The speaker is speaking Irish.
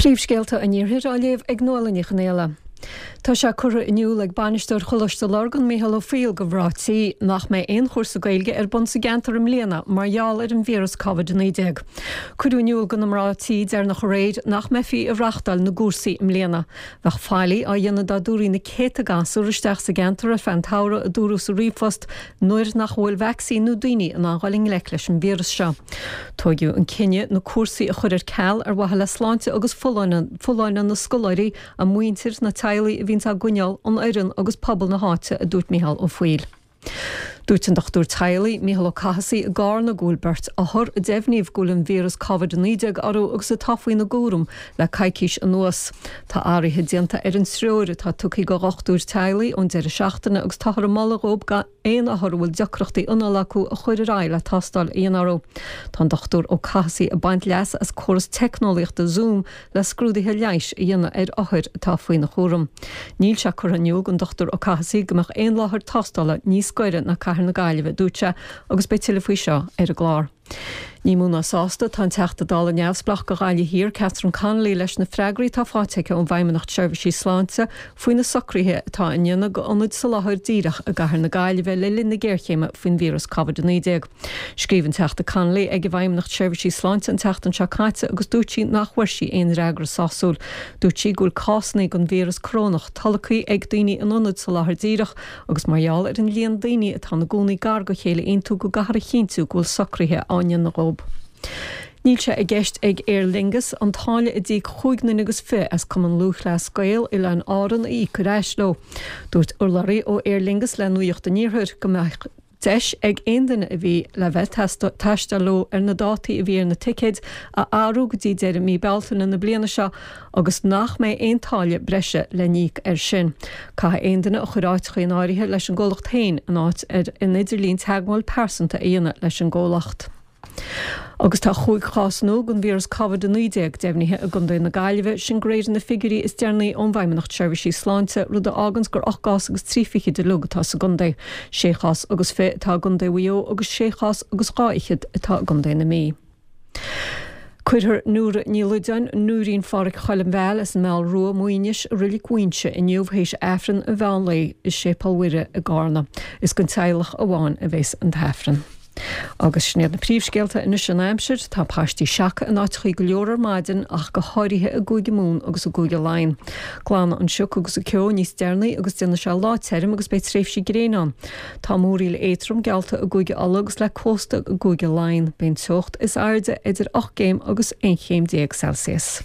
Príomhscéalta an Iarthair á léamh ag Nuala Ní Chonghaile. Tá sé curtha in iúl ag Bainisteoir Choláiste Lurgan, Micheál Ó Foighil do mhná tí nach mbeidh aon chúrsa Gaeilge ar bun sa gceantar i mbliana mar gheall ar an víreas Covid-19. Cuireadh in iúl do na mná tí deireanach aréir nach mbeifí ag reachtáil na gcúrsaí i mbliana. Bheadh faillí á dhéanamh dá dtabharfaí na céadta gasúr isteach sa gceantar ar feadh an tsamhraidh, a dúradh sa ríomhphost, nuair nach bhfuil vacsaín nó daoine in ann dhul i ngleic leis an víreas seo. Tóigeadh an cinneadh na cúrsaí a chur ar ceal ar mhaithe le sláinte agus folláine na scoláirí, a muintir, na teaghlaigh a bhíonns á gcoinneáil, an fhoireann agus pobal na háite, a dúirt Micheál Ó Foighil. Dúirt an dochtúir teaghlaigh, Mícheál Ó Cathasaigh i gCarna go bhfuil beirt othar a deimhníodh go bhfuil an víreas Covid-19 orthu agus atá faoina gcúram le coicís anuas. Tá athruithe déanta ar an treoir atá tugtha do dhochtúir teaghlaigh ón deireadh seachtaine agus táthar ag moladh dhóibh aon othar a bhfuil deacrachtaí anála acu a chur ar aghaidh le tástáil a dhéanamh orthu. Tá an Dr Ó Cathasaigh ag baint leas as córas teicneolaíochta Zoom le scrúduithe leighis a dhéanamh ar othair atá faoina chúram. Níl sé curtha in iúl don Dr Ó Cathasaigh go mbeadh aon láthair tástála níos gaire ná Cathair na Gaillimhe, a dúirt sé, agus beidh tuilleadh faoi seo ar an gclár. Ní mó ná sásta atá an Teachta Dála neamhspleách do Ghaillimh Thiar, Catherine Connolly, leis na freagraí atá faighte aici ón bhFeidhmeannacht Seirbhísí Sláinte faoi na socruithe atá á ndéanamh d'ionaid soláthair díreach i gcathair na Gaillimhe le linn na géarchéime faoin víreas Covid-19. Scríobh an Teachta Connolly ag an bhFeidhmeannacht Seirbhísí Sláinte an tseachtain seo caite agus dúirt sí nach bhfuair sí aon fhreagra sásúil. Dúirt sí go bhfuil cásanna den víreas corónach tolgtha ag daoine in ionaid soláthair díreach agus mar gheall ar an líon daoine atá ina gcónaí gar do chéile iontu go gcaithfear a chinntiú go bhfuil socruithe á ndéanamh dhóibh. Níl sé i gceist ag Aer Lingus an táille a d'íoc chúig nduine agus fi as Cumann Lúthchleas Gael Oileáin Árann a íoc ar ais leo. Dúirt urlabhraí ó Aer Lingus le Nuacht an Iarthair go mbeadh deis ag aon duine a bhí le bheith ag taisteal leo ar na dátaí a bhí ar na ticéid a athrú go dtí deireadh mí Bealtaine na bliana seo agus nach mbeidh aon táille breise le n-íoc air sin. Caithfidh aon duine a chuir áiteacha in áirithe leis an gcomhlacht féin in áit ar an idirlíon teagmháil pearsanta a dhéanamh leis an gcomhlacht. Agus tá chúig chás nua den víreas Covid-19 deimhnithe i gContae na Gaillimhe, sin de réir na figiúirí is deireanaí ón bhFeidhmeannacht Seirbhísí Sláinte, rud a fháganns gur 8 gcás agus 23 fichid uilig atá sa gcontae. Sé chás agus fi atá i gContae Mhaigh Eo agus sé chás agus dhá fhichead atá i gContae na Mí. Cuirfear Nóra Ní Loideáin, Nóirín Phádhraic Choilm Mheáil as an Meall Rua, Muighinis, i Reilig Mhuínse inniu théis Aifreann an mheán lae i Séipéal Mhuire i gCarna. Is don teaghlach amháin a bheas an tAifreann. Agus sin iad na príomhscéalta anois an aimsir. Tá paistí seaca in áiteachaí go leor ar maidin ach go háirithe i gCúige Mumhan agus i gCúige Laighean. Glanfaidh an sioc agus an ceo níos deireanaí agus déanfaidh sé lá tirim agus beidh tréimhsí gréine ann. Tá múraíl éadtrom geallta i gCúige Uladh agus le cósta i gCúige Laighean. Beidh an teocht is airde idir 8 gcéim agus 11 chéim Celsius.